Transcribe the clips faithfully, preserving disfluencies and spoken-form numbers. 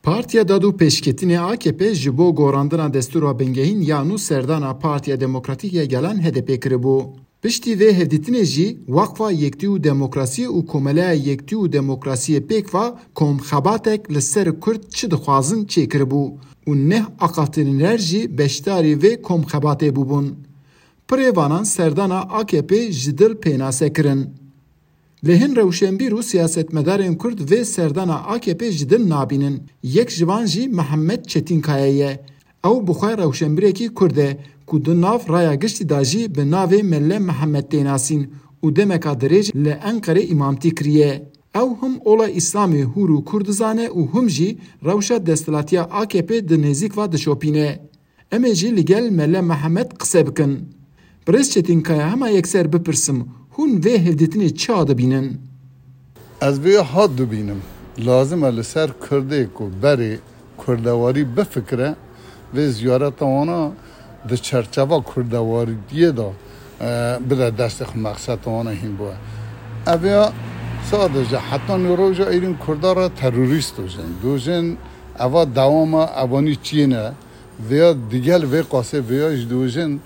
Partiya Dad û Pêşketinê A K P ji bo gorandina destûra bingehîn ya nû serdana Partiya Demokratîk ya Gelan H D P kiribû. Piştî vê hevdîtinê jî Weqfa Yektî û Demokrasiyê û Komeleya Yektî û Demokrasiyê Pêkva komxebatek li ser Kurd çi dixwazin çêkiribû û neh axaftinêner jî beşdarî vê komxebatê bûbûn. Pirê vanan serdana A K P ji dil pênase kirin. Lê hin rewşenbîr û siyasetmedarên Kurd vê serdana A K P ji dil nabînin. Yek ji van jî Mihemed Çetînkaya ye. Ew bi xwe rewşenbîrekî Kurd e ku di nav raya giştî de jî bi navê Mele Mihemed tê nasîn û demeka dirêj li Enqerê îmamtî kiriye. Ew him ola Îslamê hûr û kûr dizane û him jî rewşa desthilatiya A K P di nêzîk ve dişopîne. Em ê jî li gel Mele Mihemed qise bikin. Birêz Çetînkaya, hema yekser bipirsim, hûn vê hevdîtinê çawa dibînin? Ez vê hat dibînim. Lazim e li ser Kurdê ku berê kurdewarî bifikire, vê ziyareta wana di çerçeva kurdewariyê de, e, bide destê xwe, mexseta wana hîn bûye. Ev ya sadece heta nîroja êrîn Kurda re terorîst dojin. Dojin eva dewama evanî çiyê ne. Vêya digel vê qasê vêya jî dojin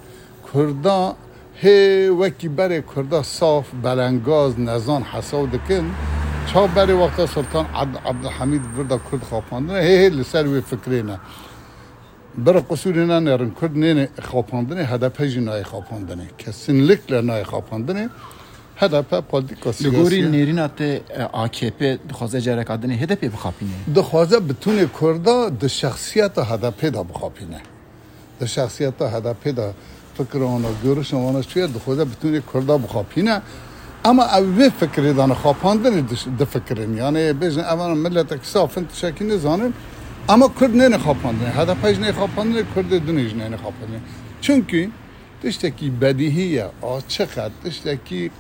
Kurda hê wekî berê Kurda saf, belengaz, nezan hesaw dikin. Ça berê wexta Sultan Abd-, Abdulhamîd vir de Kurd xapandine, hê hê li ser wê fikrê ne. Bira qusûrê nenêrin, Kurd nêne xapandinê, H D P jî nayê xapandinê. Kesinlikle nayê xapandinê. H D P polîtîka siyasî ye. Li gorî nêrîna te, e, A K P dixwaze careka dinê H D P bixapîne? Dixwaze bitûnê Kurda di şexsiyeta H D P de bixapîne. Di şexsiyeta H D P de fikra wana, görüşa wana çi ye, dixwaze bitûnê Kurda bixapîne. Ama ew vê fikrê dane xapandinê diş-, difikirin. Yani bêjin ev miletek saf in, tiştekî nizanin. Ama Kurd nêne xapandinê. H D P jî nê xapandinê, Kurdê dinê jî nêne xapandinê. Çünkü tiştekî bedîhî ye, açiq e, tiştekî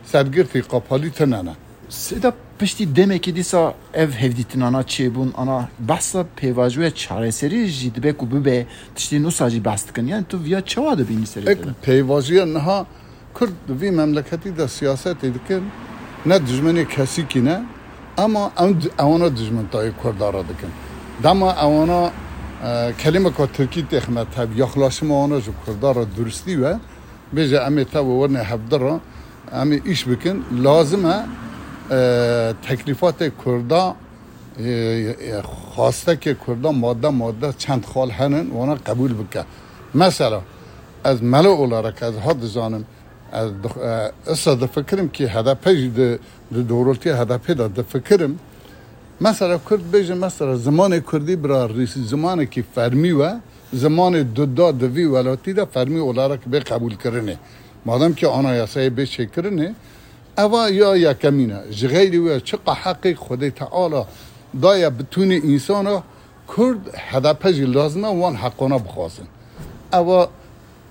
sergirtî qapalî tune ne. Seyda, piştî demekê dîsa ev hevdîtinana çêbûn, ana behsa pêvajoya çareserî jî dibe ku bibe, tiştên wisa jî behs dikin. Yani tu viya çawa dibînî serê te de? Pêvajoya niha Kurd di vî memleketî de siyasetê dikin, ne dijminê kesîkî ne, ama ew di-, ewana dijmin tayê Kurda re dikin. Dema ewana, e, kelimeka Tirkî têxine tev, yaxlaşima wana ji Kurda re duristî we, bêje em ê tev werine hevdi re, em ê îş bikin, lazim e, e, teklîfatê Kurda, e, e, xwastekê Kurda madde madde çend xal henin, wana qebûl bike. Mesela, ez melo olarak ez ha dizanim, ez dix-, e, issa difikirim ki H D P jî di, di doğrultiya H D P de difikirim. Mesela Kurd bêje, mesela zimanê Kurdî bira rîs-, zimanekî fermî we, zimanê duda di vî welatî de fermî olarak bê qebûlkirinê. Madem ki anayasayê bê çêkirinê, eva ya yekemîn e. Ji xeyrî wê çiqa heqê Xwedê Teala daye bitûnê însana, Kurd, H D P jî lazim e wan heqana bixwazin. Eva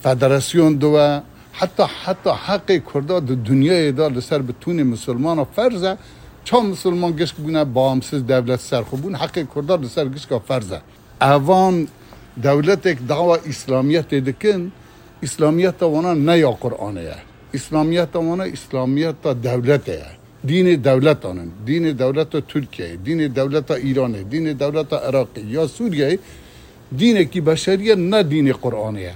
federasyon diwe, heta, heta heqê Kurda di dinyayê de li ser bitûnê misilmana ferz e. Ça misilman gişk bûne, bağımsız devlet ser xwe bûn, heqê Kurda li ser gişka ferz e. Evan dewletek dawa îslamiyetê dikin, îslamiyeta wana ne ya Qur'anê ye. Îslamiyeta wana îslamiyeta dewletê ye. Dînê dewletan in. Dînê dewleta Tirkiyeyê, dînê dewleta Îranê, dînê dewleta Iraqê ya Sûriyeyê dînekî beşerî ye, ne dînê Qur'anê ye.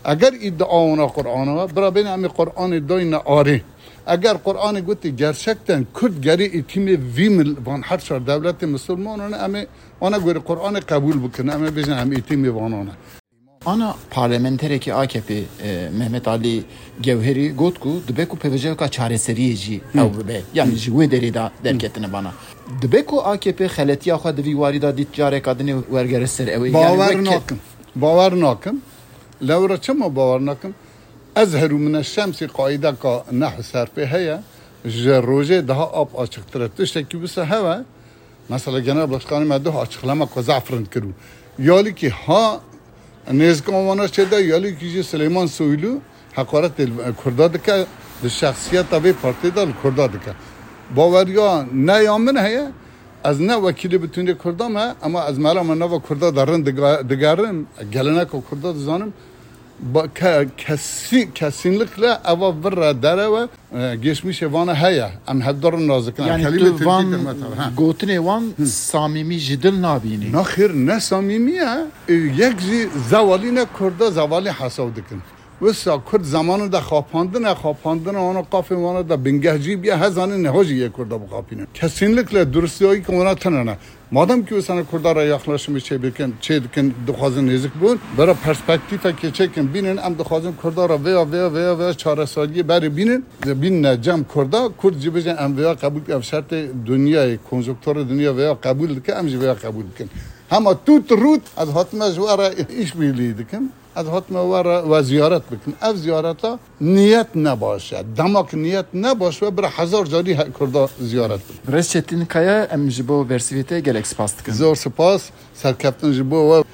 Eger îdia wana Qur'ana we, bira bêne em ê Qur'anê dayne arê. Eger Qur'anê gotê gerçekten Kurd gerê îtîmê vî mil-, van her çar dewletê misilmanan e, em ê wana gorî Qur'anê qebûl bikin, em ê bêjin em îtîmê vanan e. Ana parlamenterekî A K P, e, Mehmet Ali Gewherî got ku dibe ku pêvajoyeka çareseriyê jî ew bibe. Yani ji wê derê de derketine bana. Dibe ku A K P xeletiya xwe di vî warî de dît, careka dinê wergere ser ew ê. Yani Bawer wek nakim. Bawer nakim. Lewra çima bawer nakim? Ezheru mine şemsî qaîdeka nehw serfê heye. Ji rojê daha ap açiqtir e. Tiştekî wisa heve. Mesela Genel Başkanê me duh açıklama ku zaf rind kir û ya lîkî ha nêzîkan wana çêde, ya lîkî jî Silêman Soylu heqaretê li Kurda dike, di şexsiyeta vê partiyê de li Kurda dike. Baweriya ne ya min heye, ez ne wekîlê bitûnê Kurda me, ama ez mela me nava Kurda de rind diga-, digerim, geleneka Kurda dizanim. Ba, ke, kesî, kesînlikle eva vir re derewe, e, geçmişê vana heye. Em hevdar nas dikin. Em Yani kelîmê tu tirkî van dikin, mesela, ha. Gotinê wan samîmî ji dil nabînî. Naxêr, ne samîmî ye. E, yek jî zewalî ne Kurda, zewalî hesaw dikin. Wisa Kurd zamanında xapandine, xapandine wana qafên wana da bingehcî biye, hezanî niha jî yê Kurda bixapînin. Kesînlikle durustiyayî ki wana tine ne. Madem ki wisa ne Kurda re yaklaşımı çê bikin, çê dikin, dixwazin nêzik bûn, bera perspektîfekê çêkin bînin, em dixwazin Kurda re vêya, vêya, vêya, vêya çareseriyê berê bînin, bînine cem Kurda, Kurd jî bijin em vêya qebûl, ev şertê dinyayê, konjonkturê dinya vêya qebûl dike, em jî vêya qebûl dikin. Hema tut rût, ez hatime ji we re işbirliği dikim. Ez hatime we re, we ziyaret bikim. Ev ziyareta niyet ne baş e. Dema ki niyet ne baş be, bira hezar carî he-, Kurda ziyaret bikim. Birêz Çetin Kaya, em ji bo bersivê te gelek spas dikin. Zor spas. Serkeftin ji bo we.